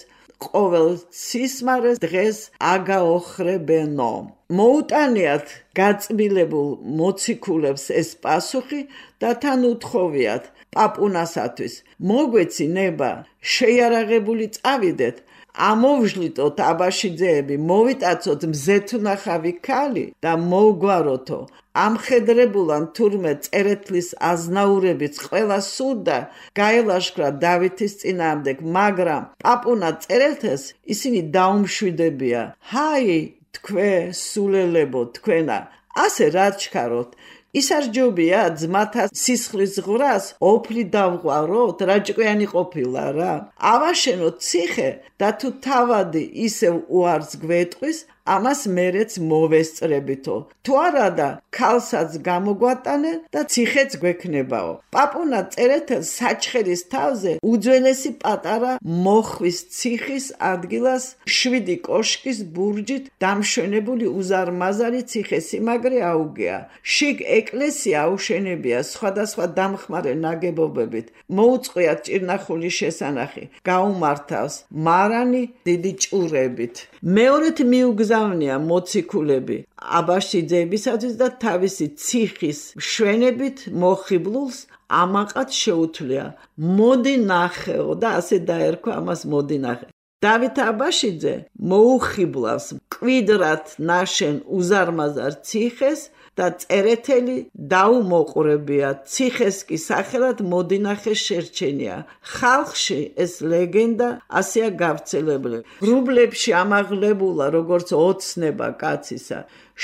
ყოველ ცისმარეს დღეს აგაოხრებენო. მოუტანიათ გაწმილებულ მოციქულებს ეს პასუხი და თან უთხოვიათ პაპუნასათვის. მოგვეცი ნება, შეიარაღებული წავიდეთ, ამოვჟლიტოთ აბაშიძეები, მოვიტაცოთ მზეთუნახავი ქალი და მოვგვაროთო. ამხედრებულან თურმე წერეთლის აზნაურებიც ყველა სურდა გაელაშქრა დავითის წინააღმდეგ, მაგრამ პაპუნა წერეთელს ისინი დაუმშვიდებია. ჰაი, თქვე სულელებო, თქვენა, ასე რა ჩქაროთ? ისარჯობია ძმათა სისხლის ღვრას ოფლი დავღვაროთ, რაჭკვიანი ყოფილა რა. ავაშენოთ ციხე და თუ თავადი ისევ უარს გვეტყვის, ამას მერეც მოვესწრებითო. თუ არადა, ქალსაც გამოგვატანე და ციხეც გვექნებაო. პაპუნა წერეთელს საჩხერის თავზე უძველესი პატარა მოხვის ციხის ადგილას შვიდი კოშკის ბურჯით დამშვენებული უზარმაზარი ციხესიმაგრე აუგეა. შიგ ეკლესია აუშენებია სხვადასხვა დამხმარე ნაგებობებით. მოუწყვიათ ჭირნახული შესანახი. გაუმართავს მარანი დიდი ჭურებით. მეორეთ მიუგზავნია მოციქულები აბაშიძეებისათვის და თავისი ციხის მშვენებით მოხიბლულს ამაყად შეუთვლია. მოდი ნახეო და ასე დაერქვა ამას მოდი ნახე. დავით აბაშიძე მოუხიბლავს მკვიდრად ნაშენ უზარმაზარ ციხეს და წერეთელი დაუმოყრებია ციხეს კი სახელად მოდინახეს შერჩენია ხალხში ეს ლეგენდა ასეა გავრცელებული რუბლებში ამაღლებულა როგორც ოცნება კაცისა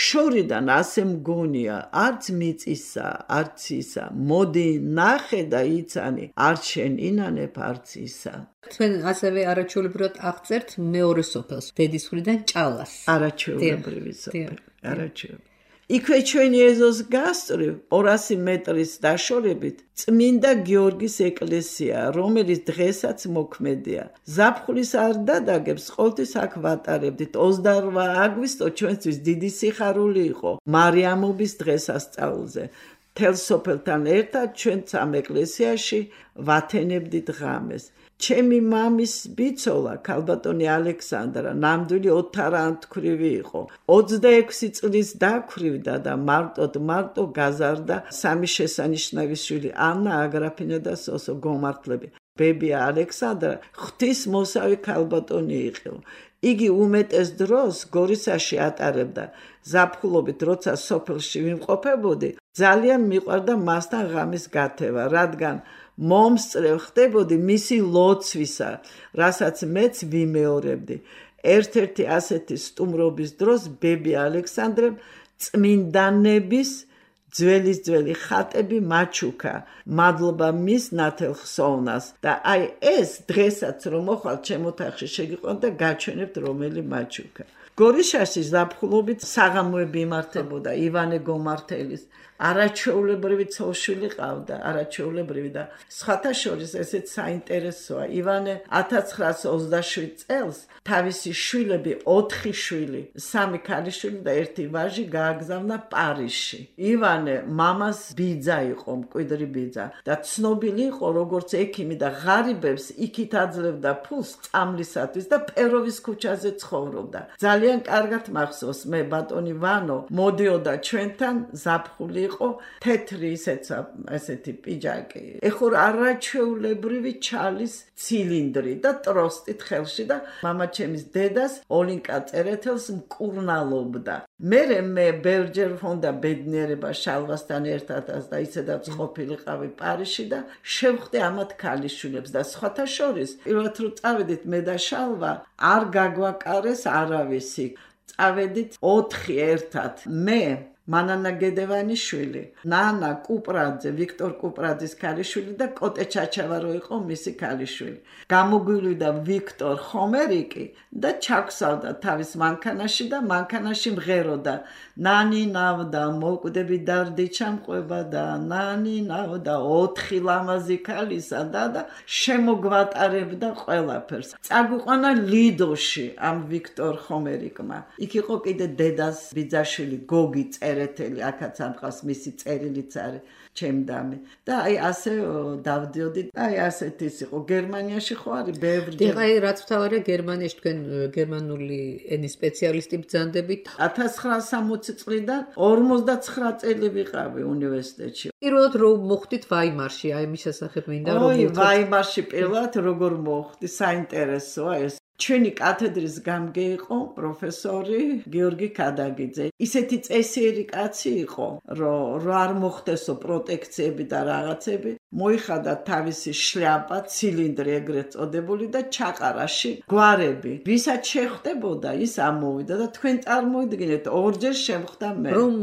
შორიდან ასე მგონია არც მიწისა არც ისა მოდი ნახე და იცანი არ შენ ინანებ არც ისა თქვენ ასევე არაჩვეულებრივად აღწერთ მეორე სოფელს დედის მხრიდან ჭალას არაჩვეულებრივი სოფელი არაჩვეულებრივი იქვე ჩვენი ეზოს გასწვრივ ორასი მეტრის დაშორებით წმინდა გიორგის ეკლესია, რომელიც დღესაც მოქმედია. ზაფხულის არ დადაგებს ყოველთვის აქ ვატარებდით. ოცდაორმა აგვისტო ჩვენთვის დიდი სიხარული იყო მარიამობის დღესასწაულზე. მთელ სოფელთან ერთად ჩვენ სამ ეკლესიაში ვათენებდით ღამეს. ჩემი მამის ბიცოლა ქალბატონი ალექსანდრა ნამდვილი ოთარანთქვრივი იყო. ოცდაექვსი წლის დაქვრივდა და მარტოდ მარტო გაზარდა სამი შესანიშნავი შვილი ანა აგრაფინა და სოსო გომართლები. ბებია ალექსანდრა ღვთისმოსავი ქალბატონი იყო. იგი უმეტეს დროს გორისაში ატარებდა. ზაფხულობით როცა სოფელში ვიმყოფებოდი, ძალიან მიყვარდა მასთან ღამის გათევა, რადგან მომსწრე ხდებოდი მისი ლოცვისა, რასაც მეც ვიმეორებდი. ერთ-ერთი ასეთი სტუმრობის დროს ბები ალექსანდრემ წმინდანების ძველის ძველი ხატები მაჩუქა. მადლობა მის ნათელ ხსოვნას და აი ეს დღესაც რომ მოხვალ ჩემ ოთახში შეგიყვანთ და გაჩვენებთ რომელი მაჩუქა. გორიშაში ზაფხულობით საღამოები იმართებოდა ივანე გომართელის არაჩვეულებრივი ცოლშვილი ყავდა, არაჩვეულებრივი და სხვათა შორის ესეც საინტერესოა. ივანე ათას ცხრაას ოცდაშვიდ წელს თავისი შვილები, ოთხი შვილი, სამი ქალიშვილი და ერთი ვაჟი გააგზავნა პარიზში. ივანე მამას ბიძა იყო, მკვიდრი ბიძა და ცნობილი იყო როგორც ექიმი და ღარიბებს იქით აძლევდა ფულს წამლისათვის და პეროვის ქუჩაზე ცხოვრობდა. ძალიან კარგად მახსოვს მე ბატონი ვანო მოდიოდა ჩვენთან ზაფხული იყო თეთრი ისეცა ესეთი პიჯაკი. ეხურ არაჩვეულებრივი ჩალის ცილინდრი და ტროსტით ხელში და მამაჩემის დედას ოლინკა წერეთელს მკურნალობდა. მერე მე ბევრჯერ მქონდა ბედნიერება შალვასთან ერთადაც და ისედაც ყოფილიყავი პარიზში და შევხვდი ამათ ქალიშვილებს და სხვათა შორის პირველად რომ წავედით მე და შალვა არ გაგვაკარეს არავისი. წავედით ოთხი ერთად მე მანანა გედევანის შვილი, ნანა კუპრაძე, ვიქტორ კუპრაძის ქალიშვილი და კოტე ჩაჩავარო იყო მისი ქალიშვილი. გამოგვივიდა ვიქტორ ხომერიკი და ჩაგვსავდა თავის მანქანაში და მანქანაში მღეროდა. ნანი ნავდა, მოკვდები დარდი ჩამყვება და ნანი ნავდა, ოთხი ლამაზი ქალისა და და შემოგვატარებდა ყველაფერს. წაგვიყვანა ლიდოში ამ ვიქტორ ხომერიკმა. იქ იყო კიდე დედას ბიძაშვილი გოგი წერეთელი, აქაც ამყავს მისი წერილიც არის ჩემდამი. და აი ასე დავდიოდი. აი ასეთ ის იყო. გერმანიაში ხო არის ბევრი. დიახ, აი რაც თავარია გერმანიაში თქვენ გერმანული ენის სპეციალისტი ბრძანდებით. ათას ცხრაას სამოცი წლიდან ორმოცდაცხრა წელი ვიყავი უნივერსიტეტში. პირველად რო მოხვდით ვაიმარში, აი მის შესახებ მინდა რომ ой, ვაიმარში პირველად როგორ მოხვდი, საინტერესოა ეს. ჩვენი კათედრის გამგე იყო პროფესორი გიორგი ქადაგიძე. ისეთი წესიერი კაცი იყო, რომ რო არ მოხდესო პროტექციები და რაღაცები, მოიხადა თავისი შლაპა, ცილინდრი ეგრეთ წოდებული და ჩაყარაში გვარები. ვისაც შეხვდებოდა, ის ამოვიდა და თქვენ წარმოიდგინეთ, ორჯერ შემხვდა მე. რომ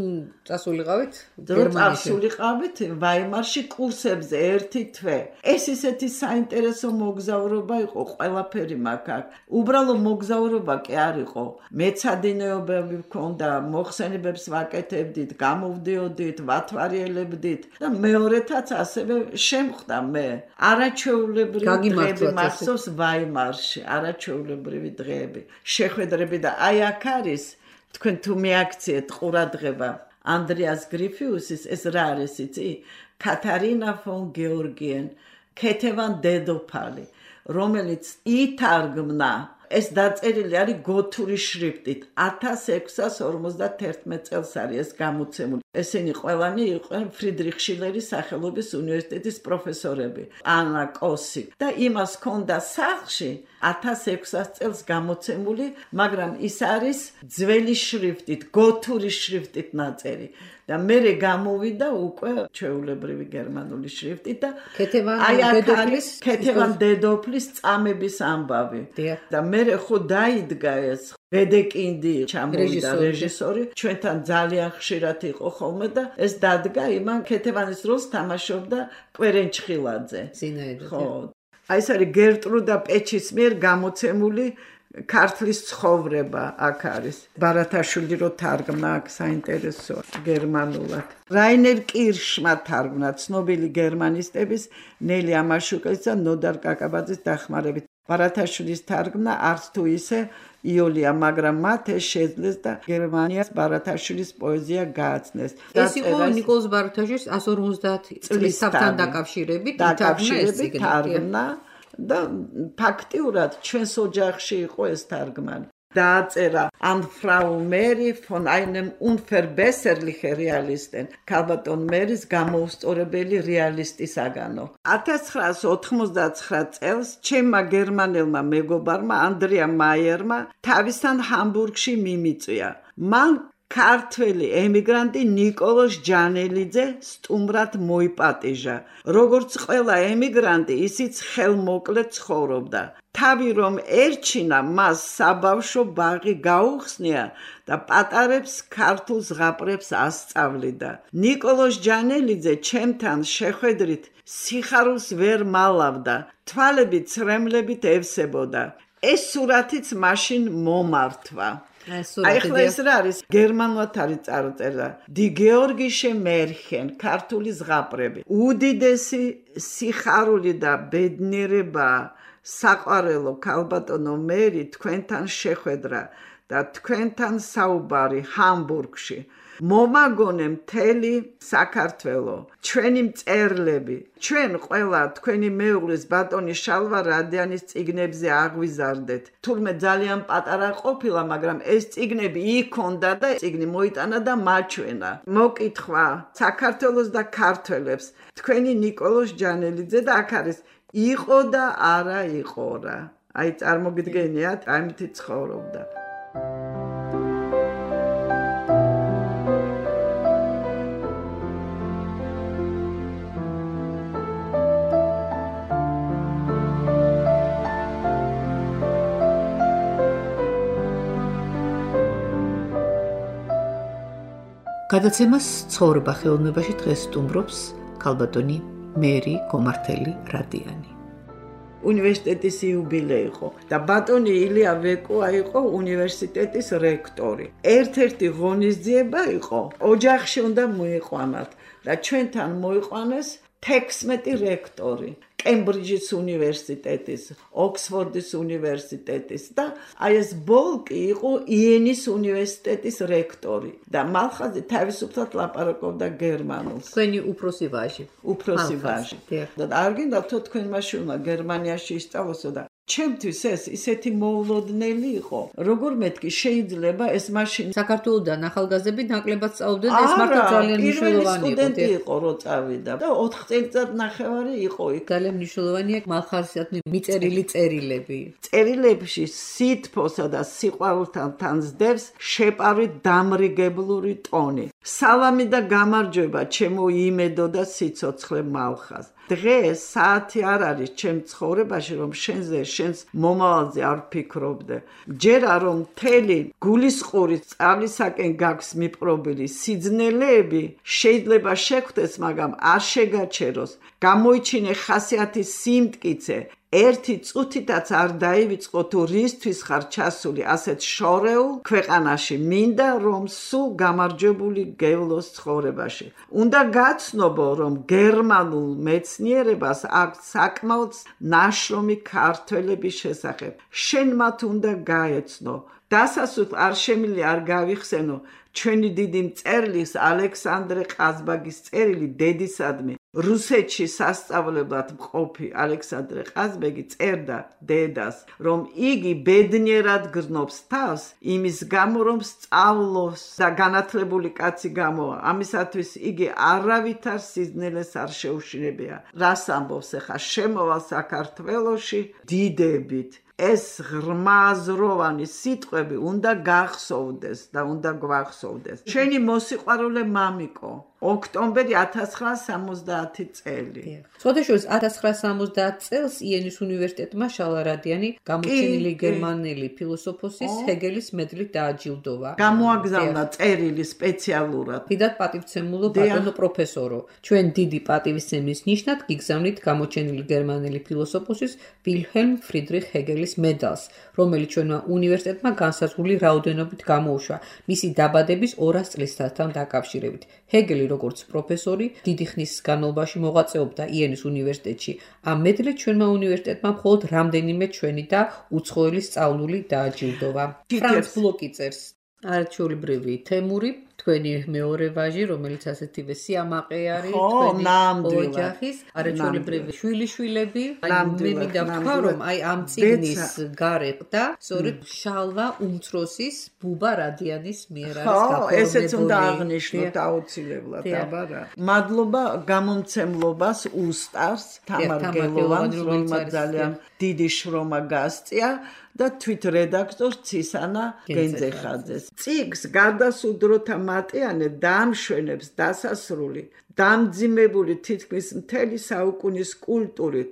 წასულიყავით გერმანიაში. წასულიყავით ვაიმარში კურსებზე ერთი თვე. ეს ისეთი საინტერესო მოგზაურობა იყო, ყველაფერი მაქვს აქ. უბრალო მოგზაურობა კი არ იყო. მეცადინეობები მქონდა, მოხსენებებს ვაკეთებდით, გამოვდიოდით, ვათვალიერებდით და მეორეთაც ასევე შემხვდა მე. არაჩვეულებრივი დღეები მახსოვს ვაიმარში, არაჩვეულებრივი დღეები. შეხვედრები და აი აქ არის თქვენ თუ მიაქციეთ ყურადღება ანდრიას გრიფიუსის ეს რა არის იცი? კათარინა ფონ გეორგიენ, ქეთევან დედოფალი, რომელიც ითარგმნა ეს დაწერილი არის გოთური შრიფტით. ათას ექვსას ორმოცდათერთმეტ წელს არის ეს გამოცემული. ესენი ყველანი იყვნენ ფრიდრიხ შილერის სახელობის უნივერსიტეტის პროფესორები, ანა კოსი და იმას ჰქონდა სახლში ათას ექვსას წელს გამოცემული, მაგრამ ის არის ძველი შრიფტით, გოთური შრიფტით ნაწერი. და მერე გამოვიდა უკვე ჩვეულებრივი გერმანული შრიფტით და აი აქ არის ქეთევან დედოფლის წამების ამბავი. და მერე ხო დაიდგა ეს ვედეკინდი ჩამოვიდა რეჟისორი, ჩვენთან ძალიან ხშირად იყო ხოლმე და ეს დადგა იმან ქეთევანის როლს თამაშობდა კვერენ ჩხილაძე. ხო. აი ეს არის გერტრუდა პეჩის მიერ გამოცემული ქართლის ცხოვრება აქ არის. ბარათაშვილი რო თარგმნა აქ საინტერესო გერმანულად. რაინერ კირშმა თარგმნა ცნობილი გერმანისტების ნელი ამაშუკელის და ნოდარ კაკაბაძის დახმარებით. ბარათაშვილის თარგმნა არც თუ ისე იოლია, მაგრამ მათ ეს შეძლეს და გერმანიას ბარათაშვილის პოეზია გააცნეს. ეს იყო ნიკოლოზ ბარათაშვილის εκατს ორმოცდაათი წლის საფთან დაკავშირებით თარგმნა და ფაქტიურად ჩვენს ოჯახში იყო ეს თარგმანი. დააწერა an Frau Mary von einem unverbesserlichen Realisten, ქალბატონ მერის გამოუსწორებელი რეალისტისაგანო. ათას ცხრაას ოთხმოცდაცხრა წელს ჩემმა გერმანელმა მეგობარმა ანდრია მაიერმა თავისთან ჰამბურგში მიმიწვია. მან ქართველი ემიგრანტი ნიკოლოზ ჯანელიძე სტუმრად მოიპატიჟა. როგორც ყველა ემიგრანტი, ისიც ხელმოკლედ ცხოვრობდა. თავი რომ ერჩინა, მას საბავშვო ბაღი გაუხსნია და პატარებს ქართულ ზღაპრებს ასწავლიდა. ნიკოლოზ ჯანელიძე ჩემთან შეხვედრით სიხარულს ვერ მალავდა, თვალები ცრემლებით ევსებოდა. ეს სურათიც მაშინ მომართვა. აი ხლა ეს რა არის? გერმანულად არის წარწერა. დი გეორგიშე მერხენ, ქართული ზღაპრები. უდიდესი სიხარული და ბედნიერება საყვარელო ქალბატონო მერი თქვენთან შეხვედრა და თქვენთან საუბარი ჰამბურგში. მომაგონე მთელი საქართველო, ჩვენი მწერლები, ჩვენ ყველა თქვენი მეუღლის ბატონი შალვა რადიანის წიგნებზე აღვიზარდეთ. თურმე ძალიან პატარა ყოფილა, მაგრამ ეს წიგნები იქონდა და წიგნი მოიტანა და მაჩვენა. მოკითხვა საქართველოს და ქართველებს, თქვენი ნიკოლოზ ჯანელიძე და აქ არის იყო და არა იყო რა. აი წარმოგიდგენიათ, ამითი ცხოვრობდა. გადაცემას ცხოვრება ხელოვნებაში დღეს სტუმრობს ქალბატონი მერი გომართელი რადიანი. უნივერსიტეტის იუბილე იყო და ბატონი ილია ვეკუა იყო უნივერსიტეტის რექტორი. ერთ-ერთი ღონისძიება იყო, ოჯახში უნდა მოიყვანათ და ჩვენთან მოიყვანეს თექვსმეტი რექტორი. კემბრიჯის უნივერსიტეტის, ოქსფორდის უნივერსიტეტის და აი ეს ბოლკი იყო იენის უნივერსიტეტის რექტორი და მალხაზი თავისუფლად ლაპარაკობდა გერმანულს. თქვენი უფროსი ვაჟი. უფროსი ვაჟი. და არ გინდა თო თქვენმა შვილმა გერმანიაში ისწავლოსო და ჩემთვის ეს ისეთი მოულოდნელი იყო. როგორ მეთქი შეიძლება ეს მაშინ საქართველოსთან ახალგაზრდები ნაკლებად სწავლდნენ და ეს მართლა ძალიან მნიშვნელოვანი იყო. სტუდენტი იყო რო წავიდა და ოთხ წელიწად ნახევარი იყო იქ. ძალიან მნიშვნელოვანია მალხარისადმი მიწერილი წერილები. წერილებში სითფოსა და სიყვარულთან თანძდევს შეპარვით დამრიგებლური ტონი. სალამი და გამარჯვება ჩემო იმედო და სიცოცხლე მალხაზ. დღეს საათი არ არის ჩემ ცხოვრებაში რომ შენზე შენს მომავალზე არ ვფიქრობდე. ჯერა რომ მთელი გულისყური სწავლისაკენ გაქვს მიპყრობილი სიძნელეები შეიძლება შეხვდეს, მაგრამ არ შეგაჩეროს. გამოიჩინე ხასიათის სიმტკიცე. ერთი წუთითაც არ დაივიწყო თუ რისთვის ხარ ჩასული ასეთ შორეულ ქვეყანაში. მინდა რომ სულ გამარჯვებული გევლოს ცხოვრებაში. უნდა გაცნობო რომ გერმანულ მეცნიერებას აქვს საკმაოდ ნაშრომი ქართველების შესახებ. შენ მათ უნდა გაეცნო. დასასრულ არ შემილი არ გავიხსენო ჩვენი დიდი მწერლის ალექსანდრე ყაზბაგის წერილი დედისადმი, რუსეთში სასწავლებლად მყოფი ალექსანდრე ყაზბეგი წერდა დედას, რომ იგი ბედნიერად გრძნობს თავს იმის გამო, რომ სწავლოს და განათლებული კაცი გამოვა. ამისათვის იგი არავითარ სიზნელეს არ შეუშინებია. რას ამბობს ახლა შემოვალ საქართველოში დიდებით. ეს ღრმაზროვანი სიტყვები უნდა გახსოვდეს და უნდა გვახსოვდეს. შენი მოსიყვარულე მამიკო, ოქტომბერი ათას ცხრაას სამოცდაათი წელი. სხვადასხვა ათას ცხრაას სამოცდაათ წელს იენის უნივერსიტეტმა შალარადიანი გამოჩენილი გერმანელი ფილოსოფოსის ჰეგელის მედლით დააჯილდოვა. გამოაგზავნა წერილი სპეციალურად. დიდად პატივცემულო ბატონო პროფესორო, ჩვენ დიდი პატივისცემის ნიშნად გიგზავნით გამოჩენილი გერმანელი ფილოსოფოსის ვილჰელმ ფრიდრიხ ჰეგელის მედალს, რომელიც ჩვენმა უნივერსიტეტმა განსაზღვრული რაოდენობით გამოუშვა მისი დაბადების ორას წლისთან დაკავშირებით. ჰეგელი როგორც პროფესორი დიდი ხნის განმავლობაში მოღვაწეობდა იენის უნივერსიტეტში. ამ მედლით ჩვენმა უნივერსიტეტმა მხოლოდ რამდენიმე ჩვენი და უცხოელი სწავლული დააჯილდოვა. ფრანც ბლოკი წერს. არაჩვეულებრივი თემური, თქვენი მეორე ვაჟი, რომელიც ასეთივე სიამაყე არის, თქვენი ოჯახის არაჩვეულებრივი შვილიშვილები. მე მინდა ვთქვა, რომ აი ამ წიგნის გარეთ და სწორედ შალვა უმცროსის ბუბა რადიანის მიერ არის გაფორმებული. ხო, ესეც უნდა აღნიშნოთ აუცილებლად, აბა რა. მადლობა გამომცემლობას უსტარს თამარ გელოვანს, რომელმაც ძალიან დიდი შრომა გასწია და თვით რედაქტორ ცისანა გენძეხაძეს. წიგნს გარდასუდროთა მატიანე დაამშვენებს დასასრული, დამძიმებული თითქმის მთელი საუკუნის კულტურით,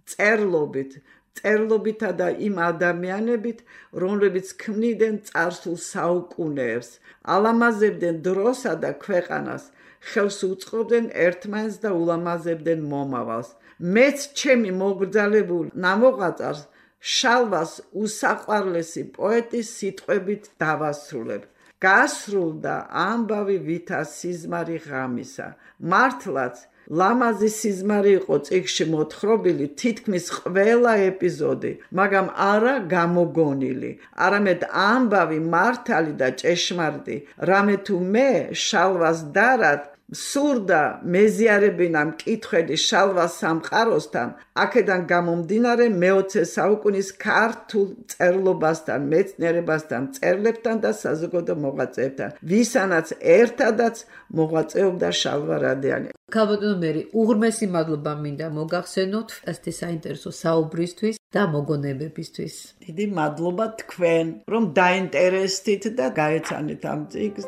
წერლობით, წერლობითა და იმ ადამიანებით, რომლებიც ქმნიდნენ წარსულ საუკუნეებს, ალამაზებდნენ დროსა და ქვეყანას, ხელს უწყობდნენ ერთმანეთს და ულამაზებდნენ მომავალს. მეც ჩემი მოგრძალებულ ნამოღვაწარს შალვას უსაყვარლესი პოეტის სიტყვებით დავასრულებ. გასრულდა ამბავი ვითა სიზმარი ღამისა. მართლაც ლამაზი სიზმარი იყო წიგნში მოთხრობილი თითქმის ყველა ეპიზოდი, მაგრამ არა გამოგონილი, არამედ ამბავი მართალი და ჭეშმარიტი. რამე თუ მე შალვას დარად სურდა მეზიარებინა მკითხველი შალვას სამყაროსთან, აქედან გამომდინარე მეოცე საუკუნის ქართულ წერლობასთან, მეცნიერებასთან, მწერლებთან და საზოგადო მოღვაწეებთან, ვისანაც ერთადაც მოღვაწეობდა შალვა რადიანი. ქალბატონო მერი, უღრმესი მადლობა მინდა მოგახსენოთ ასეთი საინტერესო საუბრისთვის და მოგონებებისთვის. დიდი მადლობა თქვენ, რომ დაინტერესდით და გაეცანით ამ წიგნს.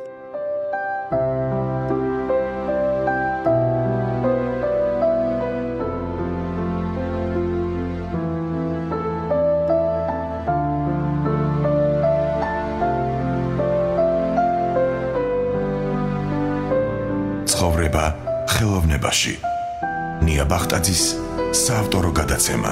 ცხოვრება ხელოვნებაში. ნია ბახტაძის საავტორო გადაცემა.